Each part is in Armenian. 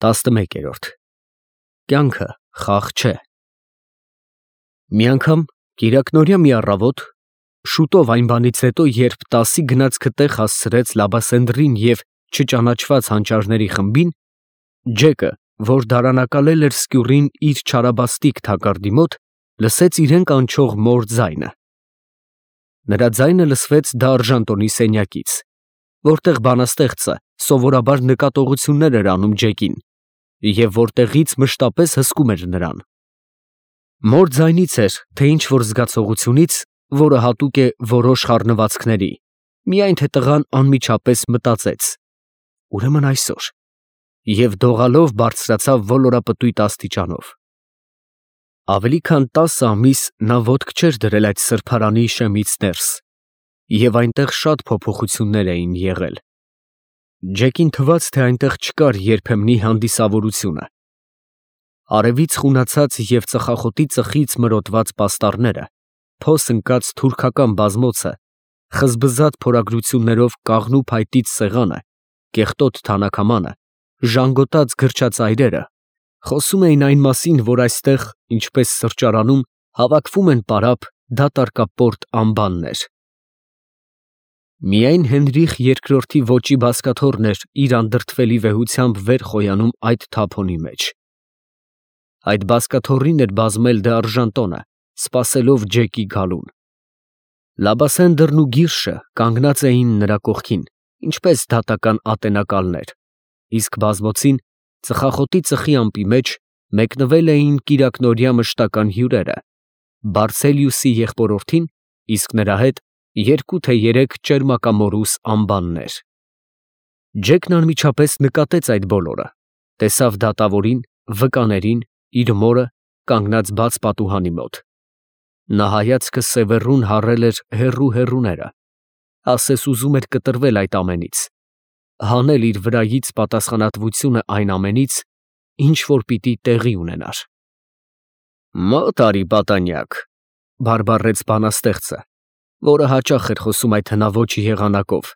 11-րդ Կյանքը խաղ չէ։ Մի անգամ կիրակնօրյա մի առավոտ, շուտով այն բանից հետո, երբ 10-ի գնացքը տեղ հասցրեց Լաբասենդրին և չճանաչված հանճարների խմբին, Ջեկը, որ դարանակալել էր սկյուռին իր չարաբաստիկ թակարդի մոտ, լսեց իրեն կանչող մոր ձայնը։ Նրա ձայնը լսվեց դարժանտոնի սենյակից, որտեղ բանաստեղծը սովորաբար նկատողություններ էր անում Ջեկին և որտեղից մշտապես հսկում էր նրան։ Մոր ձայնից էր, թե ինչ-որ զգացողությունից, որը հատուկ է որոշ խառնվածքների, միայն թե տղան անմիջապես մտածեց. ուրեմն այսօր, և դողալով բարձրացավ ոլորապտույտ աստիճանով։ Ավելի քան 10 ամիս նա ոտք չէր դրել այդ սրբարանի շեմից ներս, և այնտեղ շատ փոփոխություններ էին եղել։ Ջեկին թվաց, թե այնտեղ չկար երբեմնի հանդիսավորությունը։ Արևից խունացած և ծխախոտի ծխից մրոտված պաստառները, փոս ընկած թուրքական բազմոցը, խզբզատ փորագրություններով կաղնու փայտից սեղանը, կեղտոտ թանաքամանը, ժանգոտած գրչածայրերը խոսում էին այն մասին, որ այստեղ, ինչպես սրճարանում, հավաքվում են պարապ, դատարկապորտ անբաններ։ Միայն Հենրիխ II ոճի բազկաթոռն էր իր անդրդվելի վեհությամբ վեր խոյանում այդ թափոնի մեջ։ Այդ բազկաթոռին էր բազմել դարժանտոնը, սպասելով Ջեկի գալուն։ Լաբասենդրն ու Գիրշը կանգնած էին նրա կողքին, ինչպես դատական ատենակալներ, իսկ բազմոցին, ծխախոտի ծխի ամպի մեջ, մեկնվել էին կիրակնօրյա մշտական հյուրերը, Բարսելիուսի եղբորորդին, իսկ նրա հետ 2 թե 3 ճերմակամորուս անբաններ։ Ջեկն անմիջապես նկատեց այդ բոլորը, տեսավ դատավորին, վկաներին, իր մորը, կանգնած բաց պատուհանի մոտ։ Նա հայացքը սևեռուն հառել էր հեռու֊հեռուները, ասես ուզում էր կտրվել այդ ամենից, հանել իր վրայից պատասխանատվությունը այն ամենից, ինչ որ պիտի տեղի ունենար։ «Մոտ արի, պատանյակ», բարբառեց բանաստեղծը, որը հաճախ էր խոսում այդ հնաոճ եղանակով,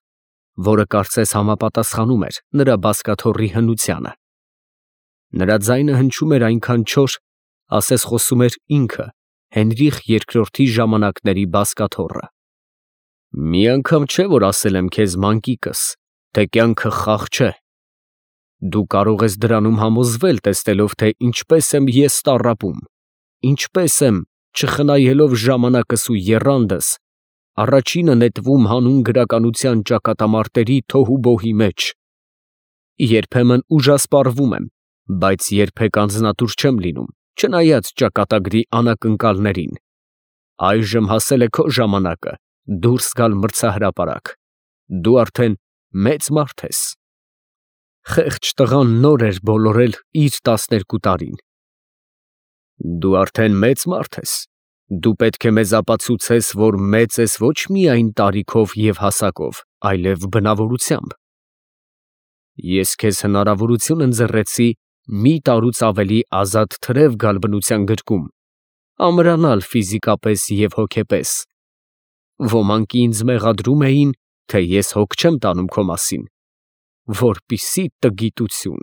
որը կարծես համապատասխանում էր նրա բազկաթոռի հնությանը։ Նրա ձայնը հնչում էր այնքան չոր, ասես խոսում էր ինքը, Հենրիխ II ժամանակների բազկաթոռը։ «Մի անգամ չէ, որ ասել եմ քեզ, մանկիկս, թե կյանքը խաղ չէ։ Դու կարող ես դրանում համոզվել, տեսնելով, թե ինչպես եմ ես տառապում, ինչպես եմ, չխնայելով ժամանակս ու եռանդս, առաջինը նետվում հանուն գրականության ճակատամարտերի թոհուբոհի մեջ։ Երբեմն ուժասպառվում եմ, բայց երբեք անձնատուր չեմ լինում, չնայած ճակատագրի անակնկալներին։ Այժմ հասել է քո ժամանակը դուրս գալ մրցահրապարակ։ Դու արդեն մեծ մարդ ես»։ Խեղճ տղան նոր էր բոլորել իր 12 տարին։ «Դու արդեն մեծ մարդ ես, դու պետք է մեզ ապացուցես, որ մեծ ես ոչ միայն տարիքով և հասակով, այլև բնավորությամբ։ Ես քեզ հնարավորություն ընձեռեցի մի տարուց ավելի ազատ թրև գալ բնության գրկում, ամրանալ ֆիզիկապես և հոգեպես։ Ոմանք ինձ մեղադրում էին, թե ես հոգ չեմ տանում քո մասին, որպիսի տգիտություն։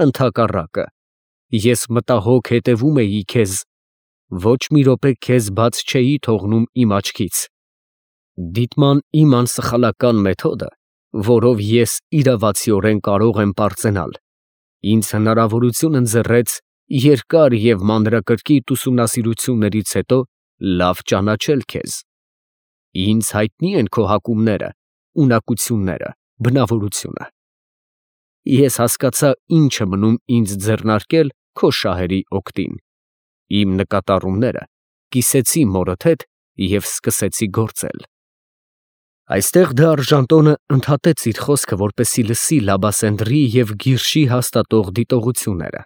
Ընդհակառակը, ես մտահոգ հետևում էի քեզ, ոչ մի րոպե քեզ բաց չէի թողնում իմ աչքից։ Դիտման իմ անսխալական մեթոդը, որով ես իրավացիորեն կարող եմ պարծենալ, ինձ հնարավորություն ընձեռեց երկար և մանրակրկիտ ուսումնասիրություններից հետո լավ ճանաչել քեզ։ Ինձ հայտնի են քո հակումները, ունակությունները, բնավորությունը։ Ես հասկացա ինչ է մնում ինձ ձեռնարկել քո շահերի օգտին, իմ նկատառումները կիսեցի մորդ հետ և սկսեցի գործել»։ Այստեղ դարժանտոնը ընդհատեց իր խոսքը, որպեսզի լսի Լաբասենդրի և Գիրշի հաստատող դիտողությունները։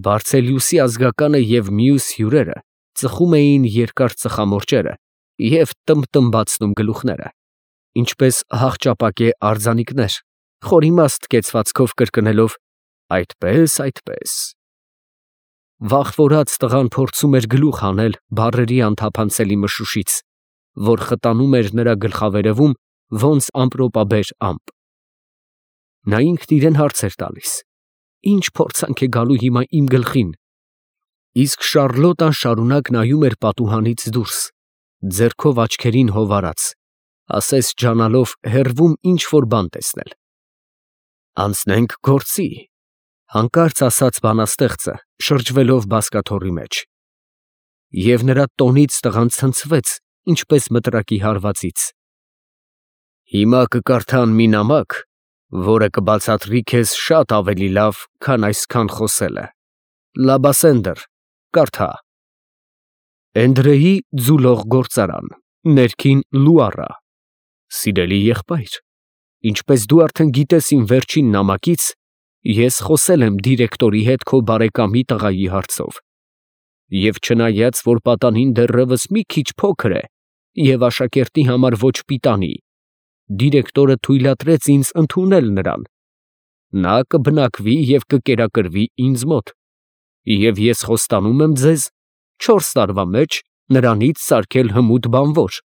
Բարսելիուսի ազգականը և մյուս հյուրերը ծխում էին երկար ծխամորճերը և տմբտմբացնում գլուխները, ինչպես հախճապակե արձանիկներ, խորիմաստ կեցվածքով կրկնելով. «Այդպես, այդպես»։ Վախվորած տղան փորձում էր գլուխ հանել բառերի անթափանցելի մշուշից, որ խտանում էր նրա գլխավերևում ոնց ամպրոպաբեր ամպ։ Նա ինքն իրեն հարց էր տալիս. Ինչ փորձանք է գալու հիմա իմ գլխին։ Իսկ Շարլոտան շարունակ նայում էր պատուհանից դուրս, ձեռքով աչքերին հովարած, ասես ջանալով հեռվում ինչ որ բան տեսնել։ Անցնենք գործի, հանկարծ ասաց բանաստեղծը, շրջվելով բազկաթոռի մեջ։ Եվ նրա տոնից տղան ցնցվեց, ինչպես մտրակի հարվածից։ Հիմա կկարդան մի նամակ, որը կբացատրի քեզ շատ ավելի լավ, քան այսքան խոսելը։ Լաբասենդր, կարդա։ Էնդրեի ձուլող գործարան, ներքին Լուարա։ Սիրելի եղբայր, ինչպես դու արդեն գիտես իմ վերջին նամակից, ես խոսել եմ դիրեկտորի հետ քո բարեկամի տղայի հարցով։ Եվ չնայած, որ պատանին դեռևս մի քիչ փոքր է և աշակերտի համար ոչ պիտանի, դիրեկտորը թույլատրեց ինձ ընդունել նրան։ Նա կբնակվի և կկերակրվի ինձ մոտ, և ես խոստանում եմ ձեզ 4 տարվա մեջ նրանից սարքել հմուտ բանվոր։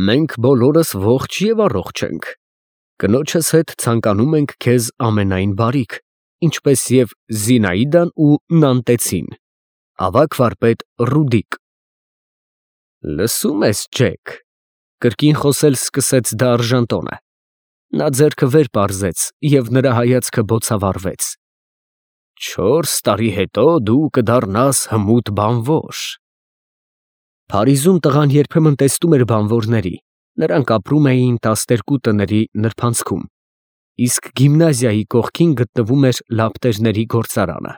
Մենք բոլորս ողջ և առողջ ենք։ Կնոջս հետ ցանկանում ենք քեզ ամենայն բարիք, ինչպես և Զինաիդան ու Նանտեցին։ Ավագ վարպետ Ռուդիկ։ Լսում ես, Ջեք, կրկին խոսել սկսեց դարժանտոնը։ Նա ձեռքը վեր պարզեց, և նրա հայացքը բոցավառվեց։ 4 տարի հետո դու կդառնաս հմուտ բանվոր։ Փարիզում տղան երբեմն տեսնում էր բանվորների, նրանք ապրում էին 12 տների նրբանցքում, իսկ գիմնազիայի կողքին գտնվում էր լապտերների գործարանը։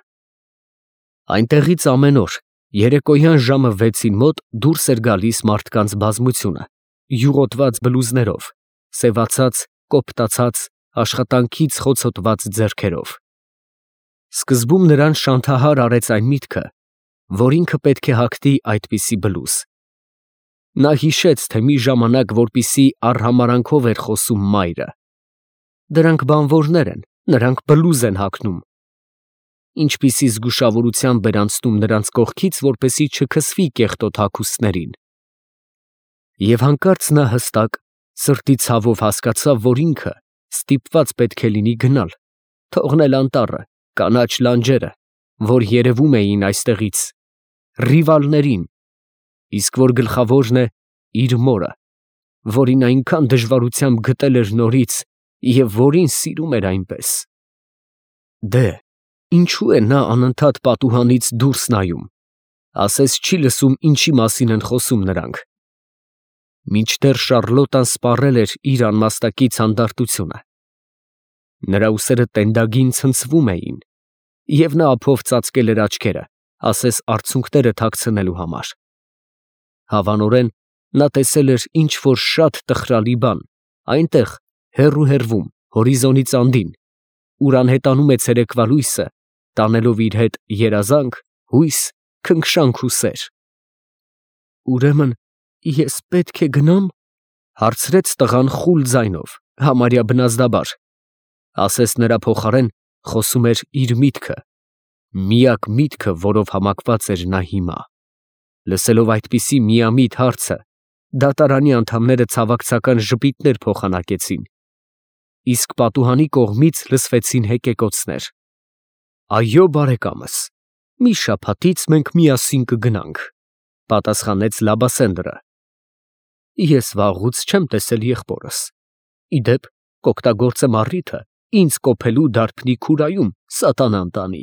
Այնտեղից ամեն օր, երեկոյան ժամը 6-ին մոտ դուրս էր գալիս մարդկանց բազմությունը, յուղոտված բլուզներով, սևացած, կոպտացած, աշխատանքից խոցոտված ձեռքերով։ Սկզբում նրան շանթահար արեց այն միտքը, որ ինքը պետք է հագնի այդպիսի բլուզ։ Նա հիշեց, թե մի ժամանակ որպիսի արհամարանքով էր խոսում մայրը. դրանք բանվորներ են, նրանք բլուզ են հագնում։ Ինչպիսի զգուշավորությամբ էր անցնում նրանց կողքից, որպեսզի չքսվի կեղտոտ հագուստներին։ Եվ հանկարծ նա հստակ, սրտի ցավով հասկացավ, որ ինքը ստիպված պետք է լինի գնալ, թողնել անտառը, կանաչ լանջերը, որ երևում էին այստեղից, ռիվալներին, իսկ որ գլխավորն է իր մորը, որին այնքան դժվարությամբ գտել էր նորից և որին սիրում էր այնպես։ Դե, ինչու է նա անընդհատ պատուհանից դուրս նայում, ասես չի լսում ինչի մասին են խոսում նրանք։ Մինչդեռ Շարլոտան սպառել էր իր անմաստակից հանդարտությունը։ Նրա ուսերը տենդագին ցնցվում էին, և նա ափով ծածկել էր աչքերը, ասես արցունքները թաքցնելու համար։ Հավանորեն, նա տեսել էր ինչ-որ շատ տխրալի բան, այնտեղ, հեռու, հորիզոնից անդին, ուր անհետանում է ցերեկվա լույսը, տանելով իր հետ երազանք, հույս, քնքշանք ու սեր։ Ուրեմն ես պետք է գնա՞մ, հարցրեց տղան խուլ ձայնով, համարյա բնազդաբար, ասես նրա փոխարեն խոսում էր իր միտքը, միակ միտքը, որով համակված էր նա հիմա։ Լսելով այդպիսի միամիտ հարցը, դատարանի անդամները ցավակցական ժպիտներ փոխանակեցին, իսկ պատուհանի կողմից լսվեցին հեկեկոցներ։ Այո, բարեկամս, մի շաբաթից մենք միասին կգնանք, պատասխանեց Լաբասենդրը։ Ես վաղուց չեմ տեսել եղբորս։ Ի դեպ, կօգտագործեմ առիթը ինձ կոփելու դարբնի քուրայում սատանան տանի։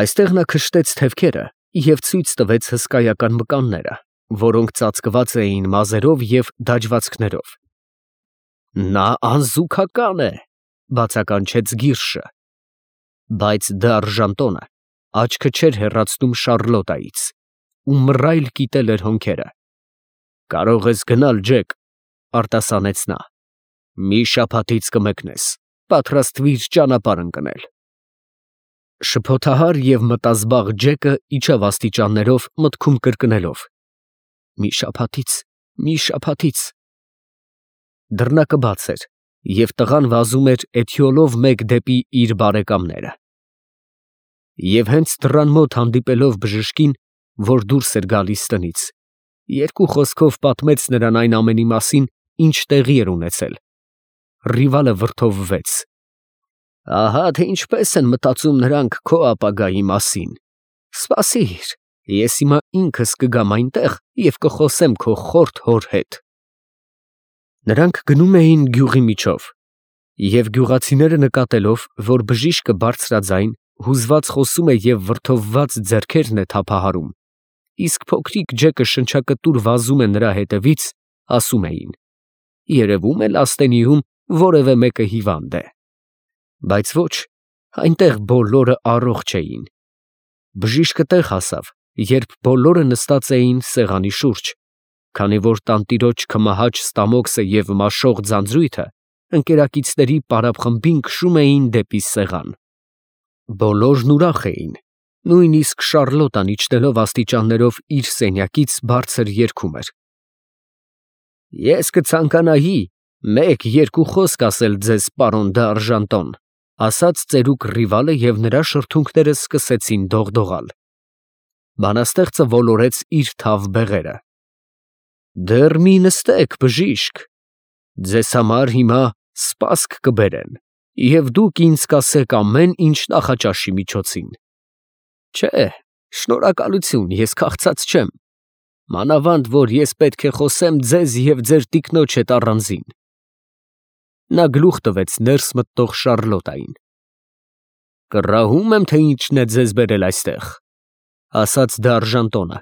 Այստեղ նա քշտեց թևքերը և ցույց տվեց հսկայական մկանները, որոնք ծածկված էին մազերով և դաջվածքներով։ Նա անզուգական է, բացականչեց Գիրշը։ Բայց դարժանտոնը աչքը չէր հեռացնում Շարլոտայից, ու մռայլ կիտել էր հոնքերը։ Կարող ես գնալ, Ջեք, արտասանեց նա։ Մի շաբաթից կմեկնես, պատրաստվիր ճանապարհ ընկնել։ Շփոթահար և մտազբաղ Ջեկը իջավ աստիճաններով, մտքում կրկնելով. մի շաբաթից։ Դռնակը բաց էր, և տղան վազում էր էթյոլով մեկ դեպի իր բարեկամները։ Եվ հենց դռան մոտ հանդիպելով բժշկին, որ դուրս էր գալիս տնից, երկու խոսքով պատմեց նրան այն ամենի մասին, ինչ տեղի էր ունեցել։ Ռիվալը վրդովվեց։ Ահա թե ինչպես են մտածում նրանք քո ապագայի մասին։ Սպասիր, ես հիմա ինքս կգամ այնտեղ և կխոսեմ քո խորթ հոր հետ։ Նրանք գնում էին գյուղի միջով, և գյուղացիները նկատելով, որ բժիշկը բարձրաձայն, հուզված խոսում է և վրդովված ձեռքերն է թափահարում, իսկ փոքրիկ Ջեկը շնչակտուր վազում է նրա հետևից, ասում էին. երևում է լաստենիում որևէ մեկը հիվանդ է։ Բայց ոչ, այնտեղ բոլորը առողջ էին։ Բժիշկը տեղ հասավ, երբ բոլորը նստած էին սեղանի շուրջ, քանի որ տանտիրոջ քմահաճ Ստամոքսը և մաշող ձանձրույթը ընկերակիցների պարապխմբին քշում էին դեպի սեղան։ Բոլորն ուրախ էին, նույնիսկ Շառլոտան իջնելով աստիճաններով իր սենյակից բարձր երգում էր. Ես կցանկանայի մեկ-երկու խոսք ասել ձեզ, պարոն դ'Արժանտոն, ասաց ծերուկ Ռիվալը, և նրա շրթունքները սկսեցին դողդողալ։ Բանաստեղծը ոլորեց իր թավ բեղերը. Դեռ մի նստեք, բժիշկ, ձեզ համար հիմա սպասք կբերեն, և դուք ինձ կասեք ամեն ինչ նախաճաշի միջոցին։ Չէ, շնորհակալություն, ես քաղցած չեմ, մանավանդ որ ես պետք է խոսեմ ձեզ և ձեր տիկնոջ հետ առանձին։ Նա գլուխ տվեց ներս մտնող Շառլոտային։ Կռահում եմ, թե ինչն է ձեզ բերել այստեղ, ասաց դ'Արժանտոնը,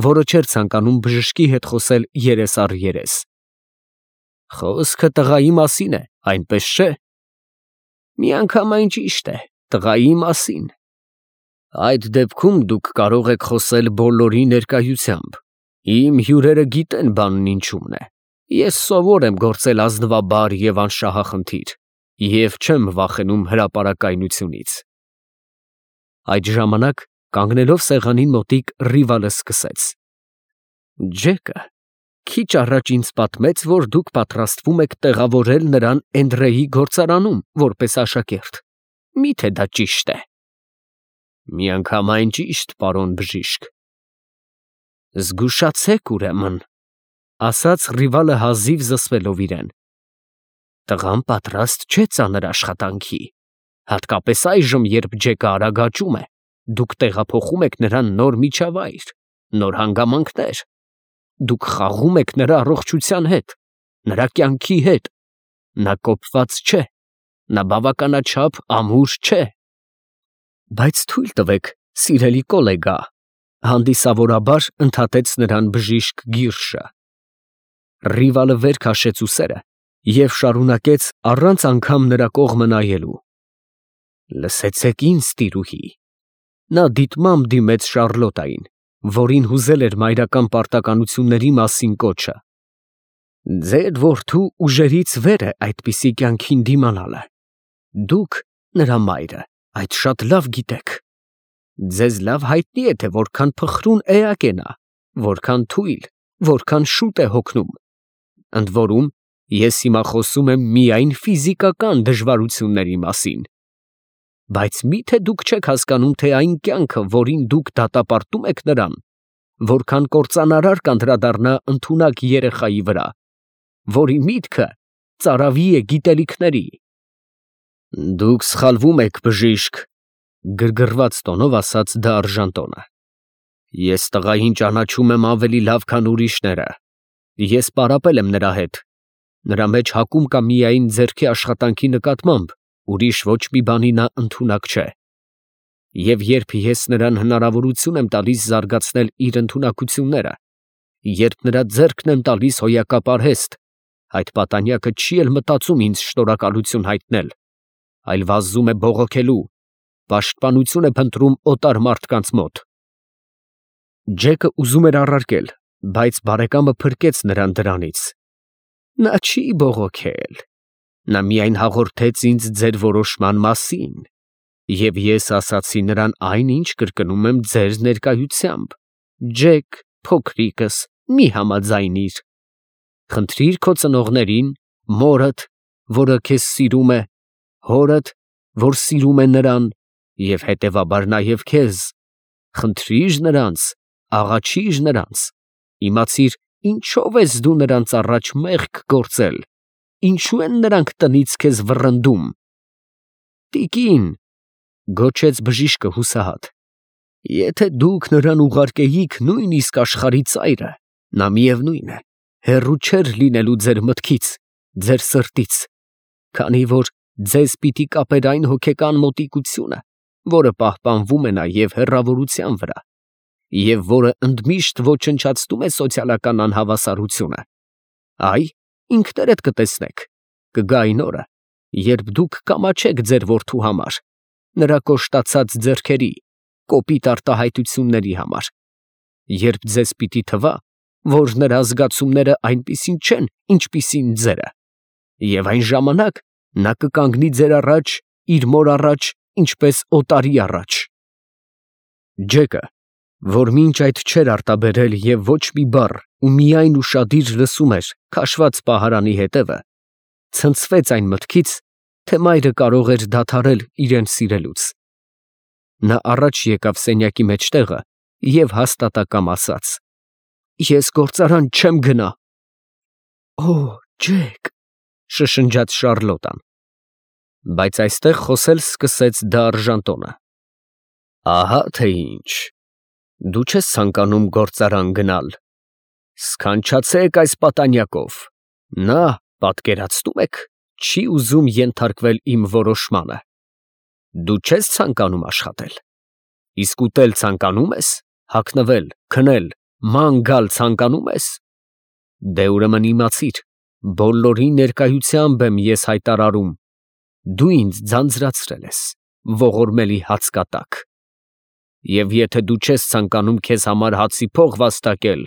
որը չէր ցանկանում բժշկի հետ խոսել երես առ երես։ Խոսքը տղայի մասին է, այնպես չէ։ Միանգամայն ճիշտ է, տղայի մասին։ Այդ դեպքում դուք կարող եք խոսել բոլորի ներկայությամբ։ Իմ հյուրերը գիտեն բանն ինչումն է։ Ես սովոր եմ գործել ազնվաբար և անշահախնդիր, և չեմ վախենում հրապարակայնությունից։ Այդ ժամանակ, կանգնելով սեղանին մոտիկ, Ռիվալը սկսեց. Ջեկը քիչ առաջ ինձ պատմեց, որ դուք պատրաստվում եք տեղավորել նրան Էնդրեի գործարանում, որպես աշակերտ։ Մի՞թե դա ճիշտ է։ Միանգամայն ճիշտ, պարոն բժիշկ։ Զգուշացեք, ուրեմն, ասաց Ռիվալը հազիվ զսպելով իրեն։ Տղան պատրաստ չէ ծանր աշխատանքի, հատկապես այժմ, երբ Ջեկը արագ աճում է, դուք տեղափոխում եք նրան նոր միջավայր, նոր հանգամանքներ, դուք խաղում եք նրա առողջության հետ, նրա կյանքի հետ, նա կոպված չէ, նա բավականաչափ ամուր չէ։ Բայց թույլ տվեք, սիրելի կոլեգա, հանդիսավորաբար ընդհատեց նրան բժիշկ Գիրշը։ Ռիվալը վեր քաշեց ուսերը և շարունակեց առանց անգամ նրա կողմը նայելու. Լսեցեք ինձ, տիրուհի։ Նա դիտմամբ դիմեց Շառլոտային, որին հուզել էր մայրական պարտականությունների մասին կոչը։ Ձեր որդու ուժերից վեր է այդպիսի կյանքին դիմանալը։ Դուք, նրա մայրը, այդ շատ լավ գիտեք։ Ձեզ լավ հայտնի է, թե որքան փխրուն էակ է նա, որքան թույլ, որքան շուտ է հոգնում։ Ընդ որում, ես հիմա խոսում եմ միայն ֆիզիկական դժվարությունների մասին։ Բայց մի՞թե դուք չեք հասկանում, թե այն կյանքը, որին դուք դատապարտում եք նրան, որքան կործանարար կանդրադառնա ընդունակ երեխայի վրա, որի միտքը ծարավի է գիտելիքների։ Դուք սխալվում եք, բժիշկ, գրգռված տոնով ասաց դ'Արժանտոնը։ Ես տղային ճանաչում եմ ավելի լավ, քան ուրիշները։ Ես պարապել եմ նրա հետ։ Նրա մեջ հակում կա միայն ձեռքի աշխատանքի նկատմամբ, ուրիշ ոչ մի բանի նա ընդունակ չէ։ Եվ երբ ես նրան հնարավորություն եմ տալիս զարգացնել իր ընդունակությունները, երբ նրա ձեռքն եմ տալիս հոյակապ արհեստ, այդ պատանյակը չի էլ մտածում ինձ շնորհակալություն հայտնել, այլ վազում է բողոքելու, պաշտպանություն է փնտրում օտար մարդկանց մոտ։ Ջեկը ուզում էր առարկել, բայց բարեկամը փրկեց նրան դրանից։ Նա չի բողոքել, նա միայն հաղորդեց ինձ ձեր որոշման մասին, և ես ասացի նրան այն, ինչ կրկնում եմ ձեր ներկայությամբ. Ջեք, փոքրիկս, մի համաձայնիր։ Խնդրիր քո ծնողներին, մորդ, որը քեզ սիրում է, հորդ, որ սիրում է նրան, և հետևաբար նաև քեզ, խնդրիր նրանց, աղաչիր նրանց, իմացիր ինչով ես դու նրանց առաջ մեղք գործել, ինչու են նրանք տնից քեզ վռնդում։ Տիկին, գոչեց բժիշկը հուսահատ, եթե դուք նրան ուղարկեիք նույնիսկ աշխարհի ծայրը, նա միևնույն է, հեռու չէր լինելու ձեր մտքից, ձեր սրտից, քանի որ ձեզ պիտի կապեր այն հոգեկան մոտիկությունը, որը պահպանվում է նաև հեռավորության վրա, և որը ընդմիշտ ոչնչացնում է սոցիալական անհավասարությունը։ Այ, ինքներդ կտեսնեք, կգա այն օրը, երբ դուք կամաչեք ձեր որդու համար, նրա կոշտացած ձեռքերի, կոպիտ արտահայտությունների համար, երբ ձեզ պիտի թվա, որ նրա զգացումները այնպիսին չեն, ինչպիսին ձերը, և այն ժամանակ նա կկանգնի ձեր առաջ, իր մոր առաջ, ինչպես օտարի առաջ։ Ջեկը, որ մինչ այդ չէր արտաբերել և ոչ մի բառ ու միայն ուշադիր լսում էր քաշված պահարանի հետևը, ցնցվեց այն մտքից, թե մայրը կարող էր դադարել իրեն սիրելուց։ Նա առաջ եկավ սենյակի մեջտեղը և հաստատակամ ասաց. «Ես գործարան չեմ գնա»։ «Օ, Ջեք», շշնջաց Շառլոտան։ Բայց այստեղ խոսել սկսեց դարժանտոնը. «Ահա թե ինչ, դու չես ցանկանում գործարան գնալ, սքանչացեք այս պատանյակով, նա, պատկերացնում եք, չի ուզում ենթարկվել իմ որոշմանը։ Դու չես ցանկանում աշխատել, իսկ ուտել ցանկանում ես, հագնվել, քնել, ման գալ ցանկանում ես։ Դե ուրեմն իմացիր, բոլորի ներկայությամբ եմ ես հայտարարում, դու ինձ ձանձրացրել ես, ողորմելի հացկատակ, և եթե դու չես ցանկանում քեզ համար հացի փող վաստակել,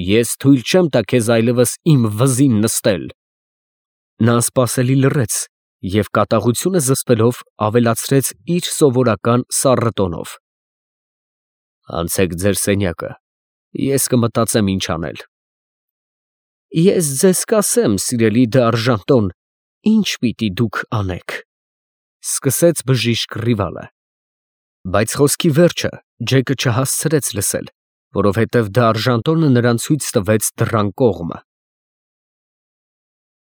ես թույլ չեմ տա քեզ այլևս իմ վզին նստել»։ Նա անսպասելի լռեց և կատաղությունը զսպելով ավելացրեց իր սովորական սառն տոնով. «Անցեք ձեր սենյակը, ես կմտածեմ ինչ անել»։ «Ես ձեզ կասեմ, սիրելի դարժանտոն, ինչ պիտի դուք անեք», ֊ սկսեց բժիշկ Ռիվալը։ Բայց խոսքի վերջը Ջեկը չհասցրեց լսել, որովհետև դարժանտոնը նրան ցույց տվեց դռան կողմը։